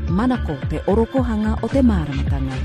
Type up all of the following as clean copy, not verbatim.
Manako te orokohanga o te māramatanga.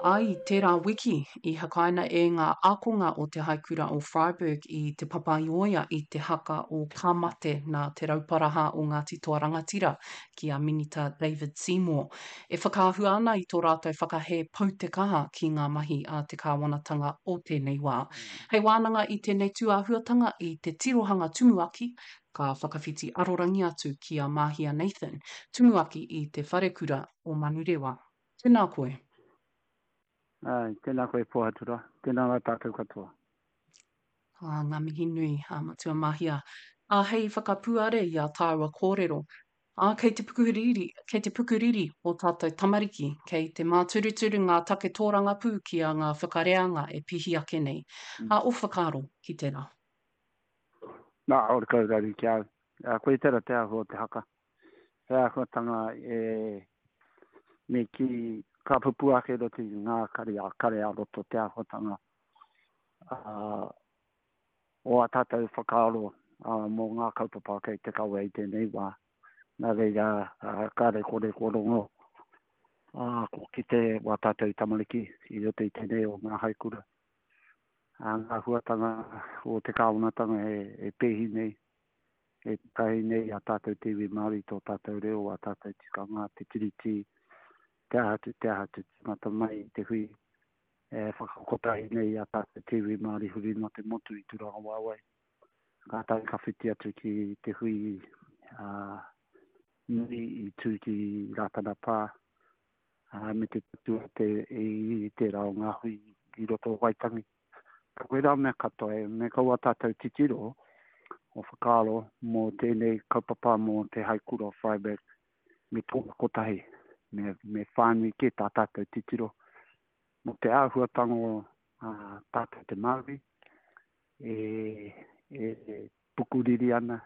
Ā, i tērā wiki, i hakaina e ngā ākonga o Te Haikura o Freiburg i Te Papaioea i te haka o Ka Mate nā Te Rauparaha o Ngāti Toa Rangatira ki a Minita David Seymour. E whakaahua ana i tō rātou whakahē pau te kaha ki ngā mahi a te kāwanatanga o tēnei wā. Hei wānanga i tēnei tūāhuatanga i te tirohanga tumuaki, ka whakawhiti arorangi atu ki a Mahia Nathan, tumuaki i Te Wharekura o Manurewa. Tēnā koe. Āe, tēnā koe Pōhatura, tēnā rā tātou katoa. Ā, ngā mihi nui, a Matua Mahia. Ā, hei whakapuare i ā tāua kōrero, ā, kei te pukuriri, kei te pukuriri ō tātou tamariki, kei te māturuturu ngā take tōrangapū ki a ngā whakareanga e pihi ake nei. Ā, ō whakaaro ki tērā? Nā, ora kau raru ki a au. Ā, koia tērā te āhua o te haka. He āhuatanga e me kī ka pupū ake i roto i ngā kare ā kare ā-roto te āhuatanga o ā tātou whakaaro mō ngā kaupapa kei te kawe i tēnei wā. Nā reira, kāre kore kua rongo, kua kite wā tātou tamariki i roto i tēnei o ngā haikura. Ngā huatanga o te kāwanatanga e pēhi nei, e takahi nei i a tātou te iwi Māori, tō tātou reo, ā tātou tikanga, te Tiriti, te aha atu, te aha atu, tīmata mai i te hui e whakakotahi nei i a tātou te iwi Māori huri noa te motu i Tūrangawaewae. Kātahi ka whiti atu ki te hui ā, nui i tū ki Rātana Pā, ā, me te tatū ate i tērā o ngā hui i roto o Waitangi. Koirā mea katoa, e, me kaua tātou titiro o whakaaro mō tēnei kaupapa mō te Haikura o Freiburg me tōna kotahi, me, me whānui kē tā tātou titiro mō te āhuatanga o tātou te Māori e, e, e pukuriri ana,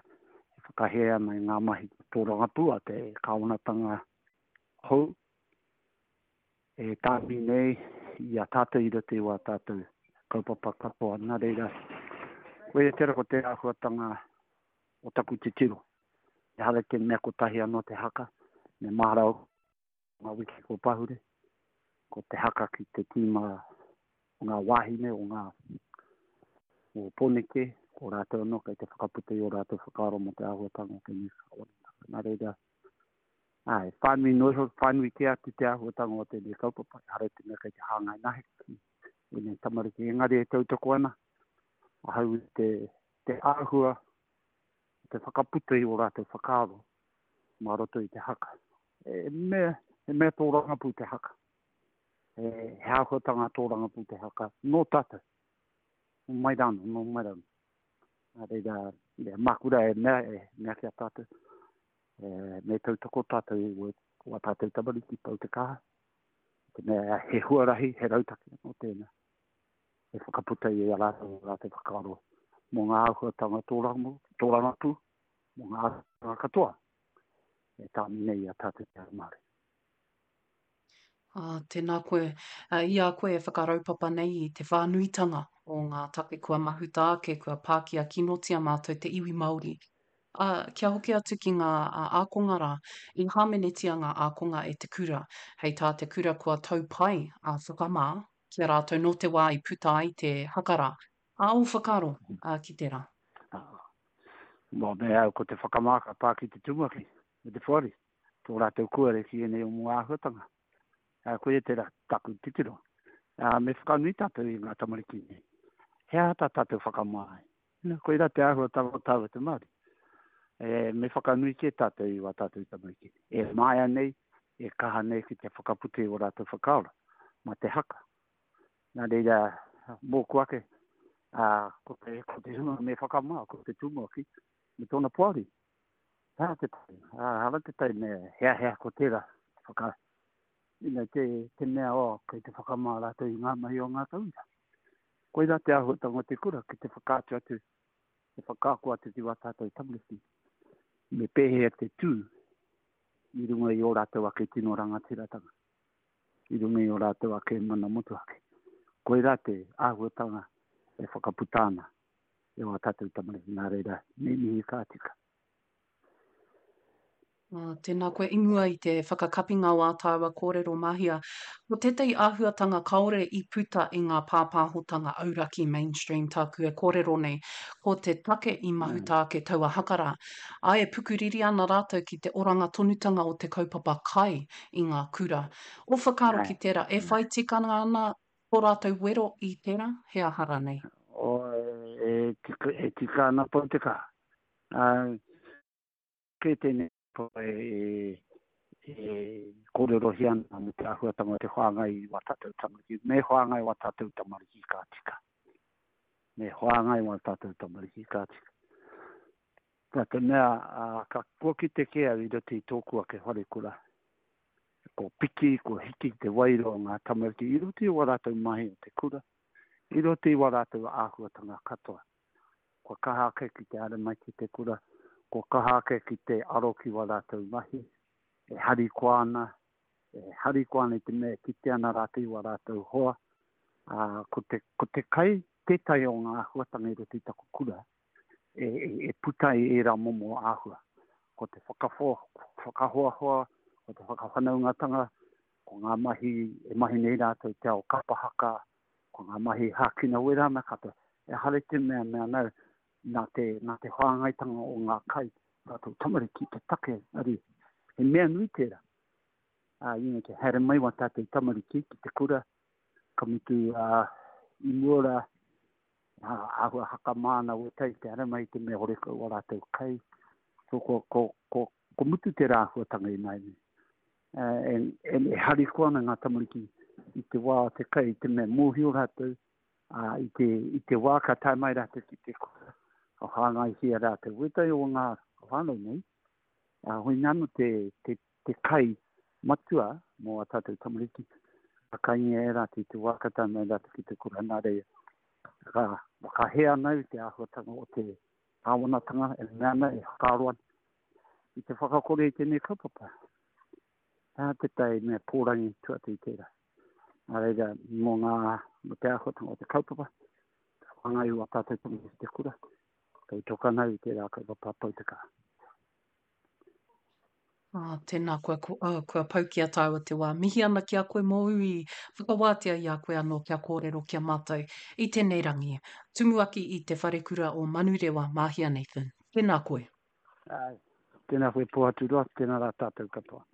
e whakahē ana i ngā mahi tōrangapū a te kāwanatanga hou e tāmi nei i a tātou i roto i wā tātou kaupapa katoa. Nā reira, koia tērā ko te āhuatanga o taku titiro. Ehara i te mea kotahi anō te haka, me mahara o ngā wiki kua pahure, ko te haka ki te tīma o ngā wāhine o ngā o Pōneke, ko rātou anō kei te whakaputa i ō rātou whakaaro mō te āhuatanga o tēnei whakawanatanga. Nā reira, āe, whānui noa iho, whānui kē atu te āhuatanga o tēnei kaupapa, ehara i te mea kei te hāngai nahe ki ēnei tamariki, engari e tautoko ana ahau i te, te āhua te whakaputa i ō rātou whakaaro mā roto i te haka. He mea, he mea tōrangapū te haka. He, he āhuatanga tōrangapū te haka nō tātou. Nō mai rānō, nō mai rānō. Nā reira, e, māku rā e mea, e mea ki a tātou, e, me tautoko tātou i wā tātou tamariki pau te kaha. Te mea, he huarahi, he rautaki anō tēnā. E whakaputa i a rātou ō rātou whakaaro mō ngā āhuatanga tōrangapū, mō ngā āhuatanga katoa e tāmi nei i a tātou te ao Māori. Ā, tēnā koe. I a koe e whakaraupapa nei i te whānuitanga o ngā take kua mahuta ake, kua pākia kinotia mātou te iwi Māori. Ā, kia hoki atu ki ngā ākonga rā, i hāmenetia ngā ākonga e te kura. Hei tā te kura kua tau pai a whakamā ki a rātou nō te wā i puta ai te haka rā. Ā, ō whakaaro ki tērā? Mō me au ko te whakamā ka pā ki te tumuaki me te poari, tō rātou kuare ki ēnei o ngā āhuatanga. Ā, koia tērā taku titiro. Ā, me whakanui tātou i ngā tamariki nei. He aha tā tātou whakamā ai? Nā, koirā te āhuatanga o tāua te Māori. E, me whakanui kē tātou i wā tātou tamariki. E māia nei, e kaha nei ki te whakaputa i ō rātou whakaaro mā te haka. Nā reira, mōku ake, ā, ko te, ko te hunga me whakamā, ko te tumuaki, me tōna poari. He aha te tai? Ā, hara te tai me heahea ko tērā whaka, you know, te, te mea, oh, kei te whakamā rātou i ngā mahi o ngā tauira. Koirā te āhuatanga o te kura, ki te whakaatu atu, te whakaako atu ki wā tātou tamariki, me pēhea te tū i runga i ō rātou ake tino rangatiratanga, i runga i ō rātou ake mana motuhake. Koirā te āhuatanga e whakaputa ana e wā tātou tamariki, nā reira, me mihi ka tika. Ā, tēnā koe i mua i te whakakapinga o ā tāua kōrero Mahia. Ko tētahi āhuatanga kāore i puta i ngā pāpāhotanga auraki mainstream tāku e kōrero nei, ko te take i mahuta ake taua haka rā. Ā, e pukuriri ana rātou ki te oranga tonutanga o te kaupapa kai i ngā kura. Ō whakaaro ki tērā, e whai tikanga ana tō rātou wero i tērā, he aha rānei? E tika ana pau te kaha. Kei tēnei kaupapa e kōrerohia ana mō te āhuatanga o te whāngai i wā tātou tamariki. Me whāngai wā tātou tamariki ka tika. Me whāngai wā tātou tamariki ka tika. Nā te mea, ka kua kite kē au i roto i tōku ake wharekura, ko piki, ko hiki te wairua o ngā tamariki i roto i wā rātou mahi o te kura, i roto i wā rātou āhuatanga katoa. Kua kaha ake ki te haere mai ki te kura, kua kaha ake ki te aro ki wā rātou mahi, e harikoa ana, e harikoa ana i te mea e kite ana rātou i wā rātou hoa. Ā, ko te, ko te kai tētahi o ngā āhuatanga i roto i taku kura e, e, e puta ai ērā momo āhua. Ko te whakawho, whakahoahoa, ko te whakawhanaungatanga, ko ngā mahi e mahi nei rātou te ao kapa haka, Ko ngā mahi hākina wera ana katoa. Ehara i te mea mea nau, nā te, nā te whāngaitanga o ngā kai, tātou tamariki te take, engari he mea nui tērā. Ā, you know, te haere mai wā tātou tamariki ki te kura, ka mutu, ā, i mua rā, ā, āhua hakamā ana wētahi te haere mai i te mea horekau wā rātou kai. So, ko, ko, ko, ko mutu tērā āhuatanga ināianei. E, e harikoa ana ngā tamariki i te wā o te kai, i te mea mōhio rātou, ā, i te, i te wā ka tae mai rātou ki te kura, ka whāngaihia rātou. Wētahi o ngā whānau nei, ā, hoina anō te, te, te kai matua mō ā tātou tamariki, ka kaingia e rātou i te wā ka tae mai rātou ki te kura. Nā reira, ka whakahē ana au i te āhuatanga o te kāwanatanga e mea ana, e whakaaro ana, i te whakakore i tēnei kaupapa. He aha tētahi mea pōrangi tua atu i tērā? Nā reira, mō ngā, mō te āhuatanga o te kaupapa, te whāngai o ā tātou tamariki ki te kura, tautoko ana au i tērā kaupapa pau te kaha. Ah, tēnā koe, ko, oh, kua pau ki a tāua te wā. Mihi ana ki a koe mōu i whakawātea i a koe anō kia kōrero ki a mātou i tēnei rangi. Tumuaki i Te Wharekura o Manurewa, Māhia Nathan. Tēnā koe. Āe. Tēnā koe Pohaturoa, tēnā rā tātou katoa.